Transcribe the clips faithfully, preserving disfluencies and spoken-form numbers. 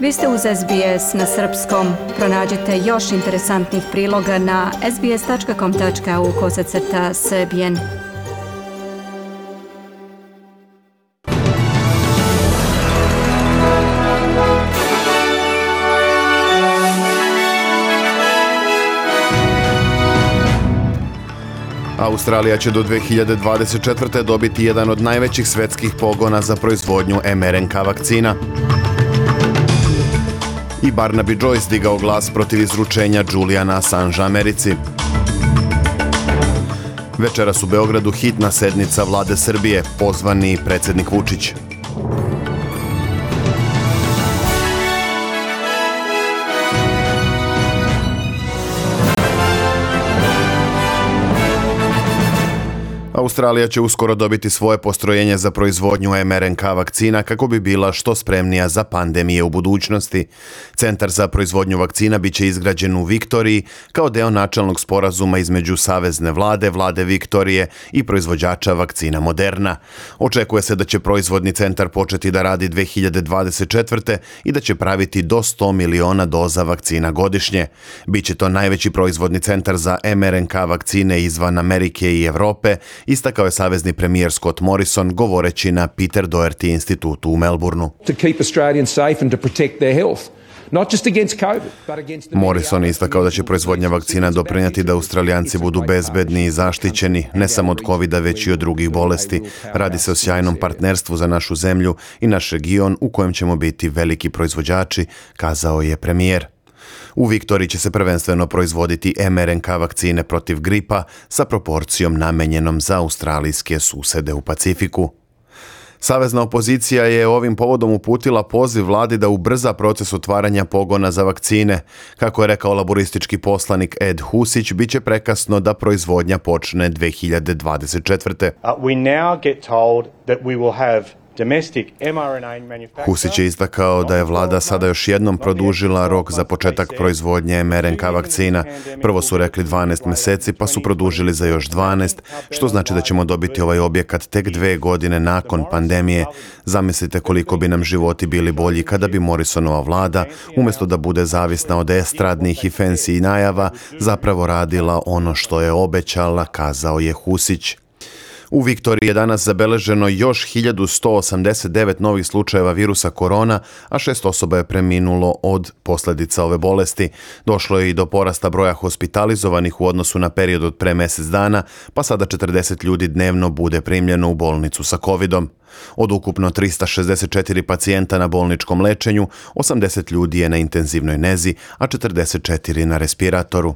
Vi ste uz S B S na srpskom. Pronađite još interesantnih priloga na sbs.com.au kosacrta srbijen. Australija će do dve hiljade dvadeset četvrte. dobiti jedan od najvećih svetskih pogona za proizvodnju em er en ka vakcina. I Barnaby Joyce digao glas protiv izručenja Juliana Assangea Americi. Večeras u Beogradu hitna sednica vlade Srbije, pozvani predsjednik Vučić. Australija će uskoro dobiti svoje postrojenje za proizvodnju em er en ka vakcina kako bi bila što spremnija za pandemije u budućnosti. Centar za proizvodnju vakcina biće izgrađen u Viktoriji kao deo načelnog sporazuma između Savezne vlade, vlade Viktorije i proizvođača vakcina Moderna. Očekuje se da će proizvodni centar početi da radi dve hiljade dvadeset četvrte. i da će praviti do sto miliona doza vakcina godišnje. Biće to najveći proizvodni centar za em er en ka vakcine izvan Amerike i Evrope, istakao je savezni premijer Scott Morrison govoreći na Peter Doherty institutu u Melbourneu. Morrison je istakao da će proizvodnja vakcina doprinijeti da Australijanci budu bezbedni i zaštićeni, ne samo od kovida, već i od drugih bolesti. Radi se o sjajnom partnerstvu za našu zemlju i naš region u kojem ćemo biti veliki proizvođači, kazao je premijer. U Viktoriji će se prvenstveno proizvoditi em er en ka vakcine protiv gripa sa proporcijom namenjenom za australijske susede u Pacifiku. Savezna opozicija je ovim povodom uputila poziv vladi da ubrza proces otvaranja pogona za vakcine. Kako je rekao laboristički poslanik Ed Husić, bit će prekasno da proizvodnja počne dve hiljade dvadeset četvrte. Uh, we now get told that we will have Husić je istakao da je vlada sada još jednom produžila rok za početak proizvodnje em er en ka vakcina. Prvo su rekli dvanaest mjeseci, pa su produžili za još dvanaest, što znači da ćemo dobiti ovaj objekat tek dve godine nakon pandemije. Zamislite koliko bi nam životi bili bolji kada bi Morrisonova vlada, umjesto da bude zavisna od estradnih i fancy najava, zapravo radila ono što je obećala, kazao je Husić. U Viktoriji je danas zabeleženo još hiljadu sto osamdeset devet novih slučajeva virusa korona, a šest osoba je preminulo od posljedica ove bolesti. Došlo je i do porasta broja hospitalizovanih u odnosu na period od pre mjesec dana, pa sada četrdeset ljudi dnevno bude primljeno u bolnicu sa covidom. Od ukupno trista šezdeset četiri pacijenta na bolničkom lečenju, osamdeset ljudi je na intenzivnoj nezi, a četrdeset četiri na respiratoru.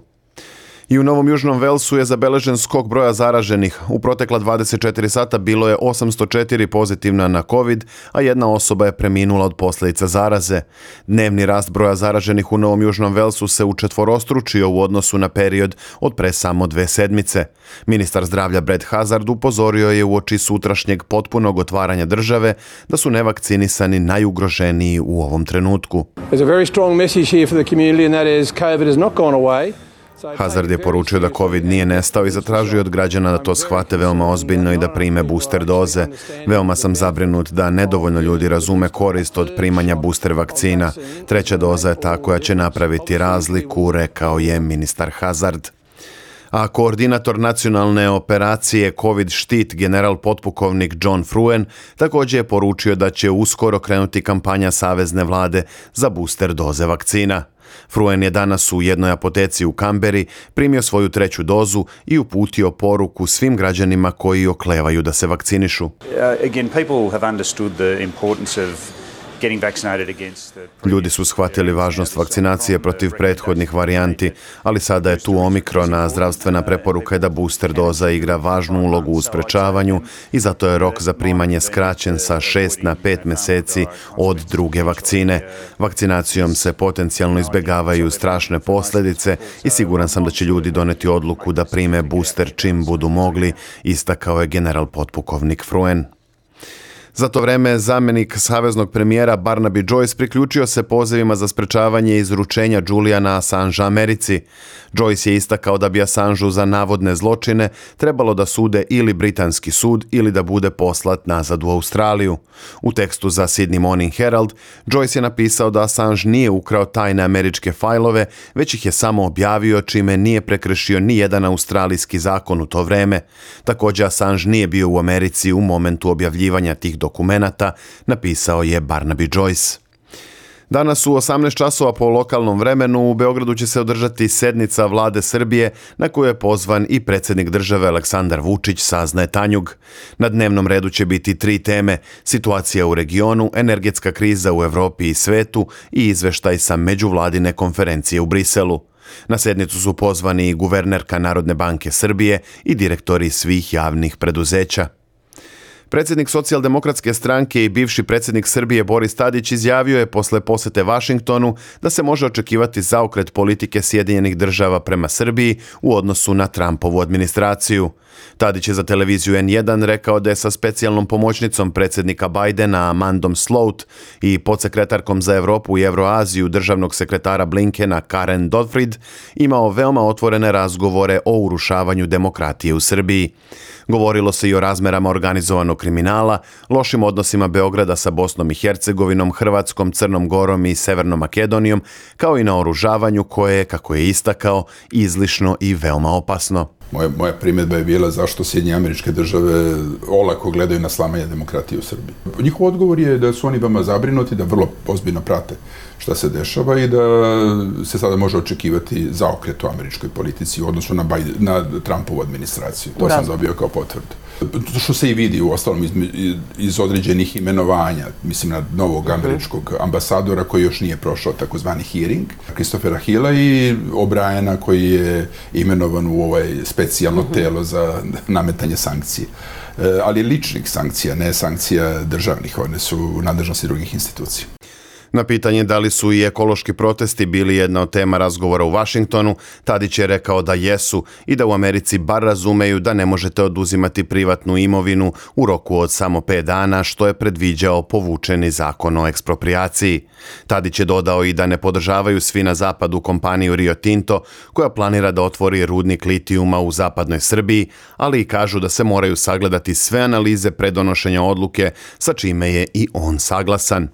I u Novom Južnom Velsu je zabeležen skok broja zaraženih. U protekla dvadeset četiri sata bilo je osamsto četiri pozitivna na COVID, a jedna osoba je preminula od posljedica zaraze. Dnevni rast broja zaraženih u Novom Južnom Velsu se učetvorostručio u odnosu na period od pre samo dve sedmice. Ministar zdravlja Brad Hazard upozorio je uoči sutrašnjeg potpunog otvaranja države da su nevakcinisani najugroženiji u ovom trenutku. There's a very strong message here for the community and that is COVID has not gone away. Hazard je poručio da COVID nije nestao i zatražio od građana da to shvate veoma ozbiljno i da prime booster doze. Veoma sam zabrinut da nedovoljno ljudi razume korist od primanja booster vakcina. Treća doza je ta koja će napraviti razliku, rekao je ministar Hazard. A koordinator nacionalne operacije COVID štit general potpukovnik John Fruen također je poručio da će uskoro krenuti kampanja savezne vlade za booster doze vakcina. Fruen je danas u jednoj apoteci u Kamberi primio svoju treću dozu i uputio poruku svim građanima koji oklevaju da se vakcinišu. Uh, again, people have understood the importance of Ljudi su shvatili važnost vakcinacije protiv prethodnih varijanti, ali sada je tu Omikron, a zdravstvena preporuka je da booster doza igra važnu ulogu u sprečavanju i zato je rok za primanje skraćen sa šest na pet mjeseci od druge vakcine. Vakcinacijom se potencijalno izbjegavaju strašne posljedice i siguran sam da će ljudi doneti odluku da prime booster čim budu mogli, istakao je general potpukovnik Fruen. Za to vreme zamjenik saveznog premijera Barnaby Joyce priključio se pozivima za sprečavanje izručenja Juliana Assangea Americi. Joyce je istakao da bi Assangeu za navodne zločine trebalo da sude ili britanski sud ili da bude poslat nazad u Australiju. U tekstu za Sydney Morning Herald, Joyce je napisao da Assange nije ukrao tajne američke fajlove, već ih je samo objavio, čime nije prekršio ni jedan australijski zakon u to vreme. Također, Assange nije bio u Americi u momentu objavljivanja tih dokumenata, napisao je Barnaby Joyce. Danas u osamnaest časova po lokalnom vremenu u Beogradu će se održati sednica vlade Srbije na koju je pozvan i predsjednik države Aleksandar Vučić, saznaje Tanjug. Na dnevnom redu će biti tri teme: situacija u regionu, energetska kriza u Evropi i svetu i izveštaj sa međuvladine konferencije u Briselu. Na sednicu su pozvani i guvernerka Narodne banke Srbije i direktori svih javnih preduzeća. Predsjednik Socijaldemokratske stranke i bivši predsjednik Srbije Boris Tadić izjavio je posle posete Vašingtonu da se može očekivati zaokret politike Sjedinjenih država prema Srbiji u odnosu na Trumpovu administraciju. Tadić je za televiziju en jedan rekao da je sa specijalnom pomoćnicom predsjednika Bidena Amandom Sloat i podsekretarkom za Evropu i Evroaziju državnog sekretara Blinkena Karen Dodfried imao veoma otvorene razgovore o urušavanju demokratije u Srbiji. Govorilo se i o razmerama organizovanog kriminala, lošim odnosima Beograda sa Bosnom i Hercegovinom, Hrvatskom, Crnom Gorom i Severnom Makedonijom, kao i na oružavanju koje je, kako je istakao, izlišno i veoma opasno. Moja, moja primjedba je bila zašto Sjedinjene Američke Države olako gledaju na slamanje demokratije u Srbiji. Njihov odgovor je da su oni veoma zabrinuti, da vrlo ozbiljno prate šta se dešava i da se sada može očekivati zaokret u američkoj politici u odnosu na, Biden, na Trumpovu administraciju. To sam dobio kao potvrdu. To što se i vidi u ostalom iz, iz određenih imenovanja, mislim na novog američkog ambasadora koji još nije prošao takozvani hearing, Christophera Hilla, i O'Briena koji je imenovan u ovaj specijalno telo za nametanje sankcije. Ali ličnih sankcija, ne sankcija državnih, one su u nadležnosti drugih institucija. Na pitanje da li su i ekološki protesti bili jedna od tema razgovora u Vašingtonu, Tadić je rekao da jesu i da u Americi bar razumeju da ne možete oduzimati privatnu imovinu u roku od samo pet dana, što je predviđao povučeni zakon o eksproprijaciji. Tadić je dodao i da ne podržavaju svi na zapadu kompaniju Rio Tinto, koja planira da otvori rudnik litijuma u zapadnoj Srbiji, ali i kažu da se moraju sagledati sve analize pre donošenja odluke, sa čime je i on saglasan.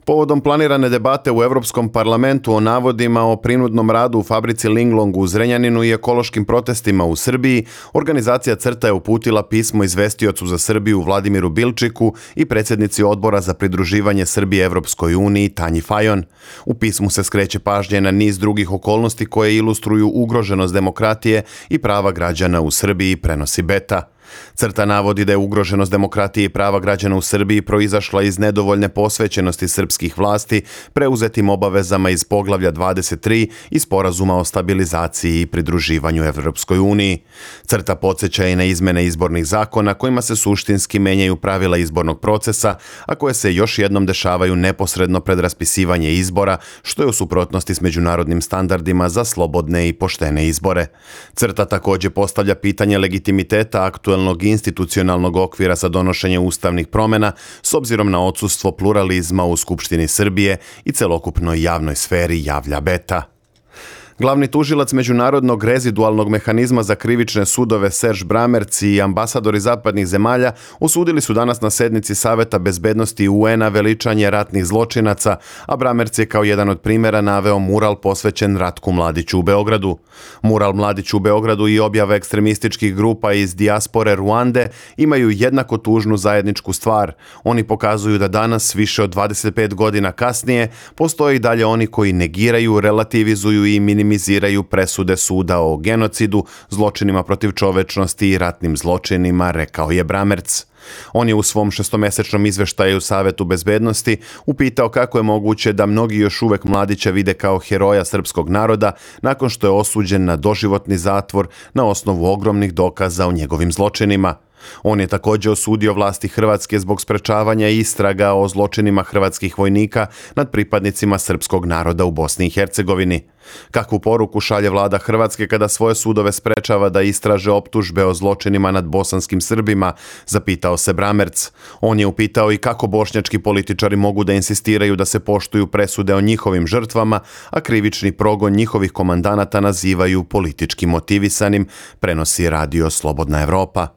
Povodom planirane debate u Europskom parlamentu o navodima o prinudnom radu u fabrici Linglong u Zrenjaninu i ekološkim protestima u Srbiji, organizacija CRTA je uputila pismo izvestiocu za Srbiju Vladimiru Bilčiku i predsjednici odbora za pridruživanje Srbije Evropskoj uniji Tanji Fajon. U pismu se skreće pažnje na niz drugih okolnosti koje ilustruju ugroženost demokratije i prava građana u Srbiji, prenosi Beta. CRTA navodi da je ugroženost demokratije i prava građana u Srbiji proizašla iz nedovoljne posvećenosti srpskih vlasti preuzetim obavezama iz poglavlja dvadeset tri i sporazuma o stabilizaciji i pridruživanju Evropskoj uniji. CRTA podsjeća i na izmene izbornih zakona kojima se suštinski menjaju pravila izbornog procesa, a koje se još jednom dešavaju neposredno pred raspisivanje izbora, što je u suprotnosti s međunarodnim standardima za slobodne i poštene izbore. CRTA također postavlja pitanje legitimiteta aktuelnog institucionalnog okvira za donošenje ustavnih promjena s obzirom na odsustvo pluralizma u Skupštini Srbije i celokupnoj javnoj sferi, javlja Beta. Glavni tužilac Međunarodnog rezidualnog mehanizma za krivične sudove Serge Bramertz i ambasadori zapadnih zemalja osudili su danas na sednici Saveta bezbednosti U N-a veličanje ratnih zločinaca, a Bramertz je kao jedan od primjera naveo mural posvećen Ratku Mladiću u Beogradu. Mural Mladiću u Beogradu i objava ekstremističkih grupa iz dijaspore Ruande imaju jednako tužnu zajedničku stvar. Oni pokazuju da danas, više od dvadeset pet godina kasnije, postoje i dalje oni koji negiraju, relativizuju i minimiziraju presude suda o genocidu, zločinima protiv čovečnosti i ratnim zločinima, rekao je Bramertz. On je u svom šestomesečnom izveštaju Savetu bezbednosti upitao kako je moguće da mnogi još uvek Mladića vide kao heroja srpskog naroda nakon što je osuđen na doživotni zatvor na osnovu ogromnih dokaza o njegovim zločinima. On je također osudio vlasti Hrvatske zbog sprečavanja istraga o zločinima hrvatskih vojnika nad pripadnicima srpskog naroda u Bosni i Hercegovini. Kakvu poruku šalje vlada Hrvatske kada svoje sudove sprečava da istraže optužbe o zločinima nad bosanskim Srbima, zapitao se Bramerc. On je upitao i kako bošnjački političari mogu da insistiraju da se poštuju presude o njihovim žrtvama, a krivični progon njihovih komandanata nazivaju politički motivisanim, prenosi radio Slobodna Evropa.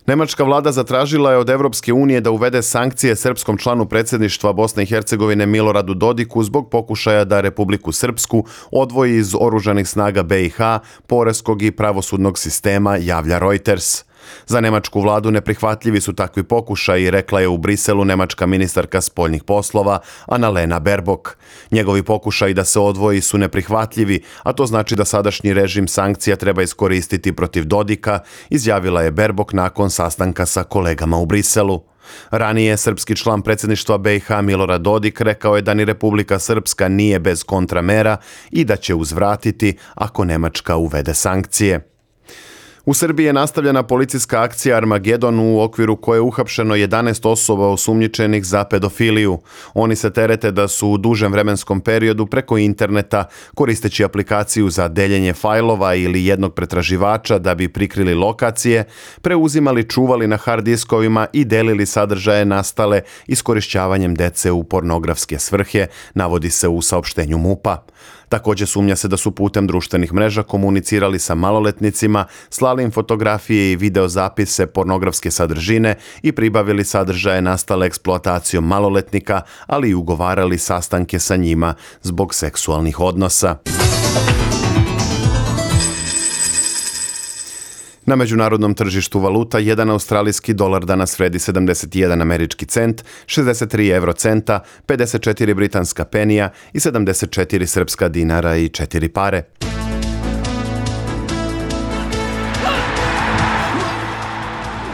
Nemačka vlada zatražila je od Evropske unije da uvede sankcije srpskom članu predsjedništva Bosne i Hercegovine Miloradu Dodiku zbog pokušaja da Republiku Srpsku odvoji iz oružanih snaga B i H, poreskog i pravosudnog sistema, javlja Reuters. Za nemačku vladu neprihvatljivi su takvi pokušaji, rekla je u Briselu nemačka ministarka spoljnih poslova Annalena Baerbock. Njegovi pokušaji da se odvoji su neprihvatljivi, a to znači da sadašnji režim sankcija treba iskoristiti protiv Dodika, izjavila je Baerbock nakon sastanka sa kolegama u Briselu. Ranije srpski član predsjedništva B i H Milorad Dodik rekao je da ni Republika Srpska nije bez kontramera i da će uzvratiti ako Nemačka uvede sankcije. U Srbiji je nastavljena policijska akcija Armagedon u okviru koje je uhapšeno jedanaest osoba osumnjičenih za pedofiliju. Oni se terete da su u dužem vremenskom periodu preko interneta, koristeći aplikaciju za deljenje fajlova ili jednog pretraživača da bi prikrili lokacije, preuzimali, čuvali na hard diskovima i delili sadržaje nastale iskorišćavanjem dece u pornografske svrhe, navodi se u saopštenju MUP-a. Također sumnja se da su putem društvenih mreža komunicirali sa maloletnicima, slali im fotografije i videozapise pornografske sadržine i pribavili sadržaje nastale eksploatacijom maloletnika, ali i ugovarali sastanke sa njima zbog seksualnih odnosa. Na međunarodnom tržištu valuta jedan australijski dolar danas vredi sedamdeset jedan američki cent, šezdeset tri eurocenta, pedeset četiri britanska penija i sedamdeset četiri srpska dinara i četiri pare.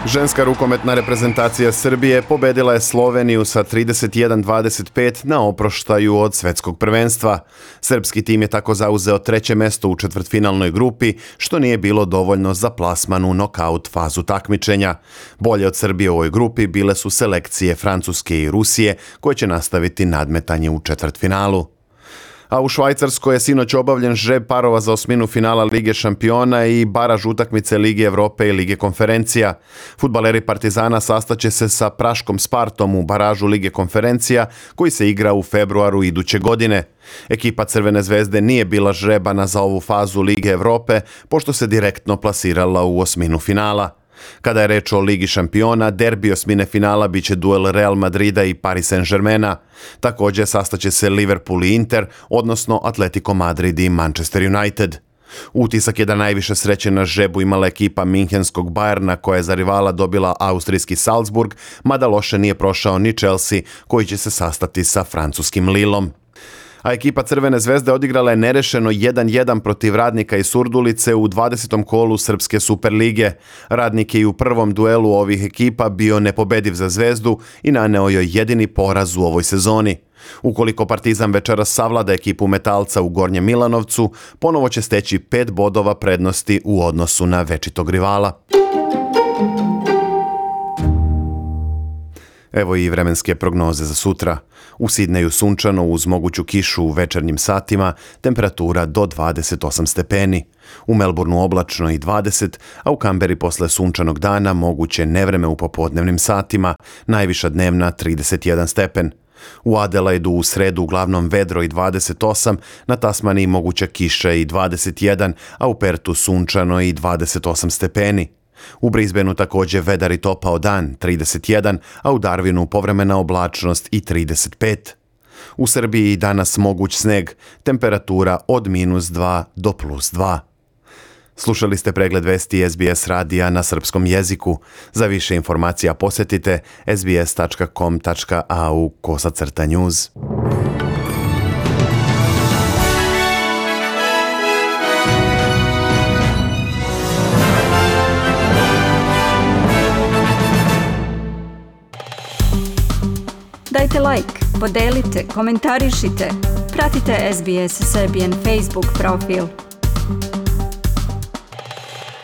Ženska rukometna reprezentacija Srbije pobedila je Sloveniju sa trideset jedan dvadeset pet na oproštaju od svetskog prvenstva. Srpski tim je tako zauzeo treće mesto u četvrtfinalnoj grupi, što nije bilo dovoljno za plasman u nokaut fazu takmičenja. Bolje od Srbije u ovoj grupi bile su selekcije Francuske i Rusije, koje će nastaviti nadmetanje u četvrtfinalu. A u Švajcarskoj je sinoć obavljen žreb parova za osminu finala Lige šampiona i baraž utakmice Lige Evrope i Lige konferencija. Fudbaleri Partizana sastaće se sa praškom Spartom u baražu Lige konferencija, koji se igra u februaru iduće godine. Ekipa Crvene zvezde nije bila žrebana za ovu fazu Lige Evrope, pošto se direktno plasirala u osminu finala. Kada je reč o Ligi šampiona, derbi osmine finala biće duel Real Madrida i Paris Saint-Germaina. Također sastaće se Liverpool i Inter, odnosno Atletico Madrid i Manchester United. Utisak je da najviše sreće na žrebu imala ekipa minhenskog Bayerna, koja je za rivala dobila austrijski Salzburg, mada loše nije prošao ni Chelsea, koji će se sastati sa francuskim Lillom. A ekipa Crvene zvezde odigrala je nerešeno jedan jedan protiv Radnika iz Surdulice u dvadesetom kolu Srpske Superlige. Radnik je i u prvom duelu ovih ekipa bio nepobediv za Zvezdu i naneo joj jedini poraz u ovoj sezoni. Ukoliko Partizan večeras savlada ekipu Metalca u Gornjem Milanovcu, ponovo će steći pet bodova prednosti u odnosu na večitog rivala. Evo i vremenske prognoze za sutra. U Sidneju sunčano uz moguću kišu u večernjim satima, temperatura do dvadeset osam stepeni. U Melbourneu oblačno i dvadeset, a u Kamberi posle sunčanog dana moguće nevreme u popodnevnim satima, najviša dnevna trideset jedan stepen. U Adelaidu u sredu uglavnom vedro i dvadeset osam, na Tasmaniji moguća kiša i dvadeset jedan, a u Pertu sunčano i dvadeset osam stepeni. U Brisbaneu također vedar i topao dan, trideset jedan, a u Darwinu povremena oblačnost i trideset pet. U Srbiji danas moguć sneg, temperatura od minus dva do plus dva. Slušali ste pregled vesti S B S radija na srpskom jeziku. Za više informacija posjetite s b s tačka com tačka a u kosacrta news. Dajte like, podelite, komentarišite. Pratite S B S Serbian Facebook profil.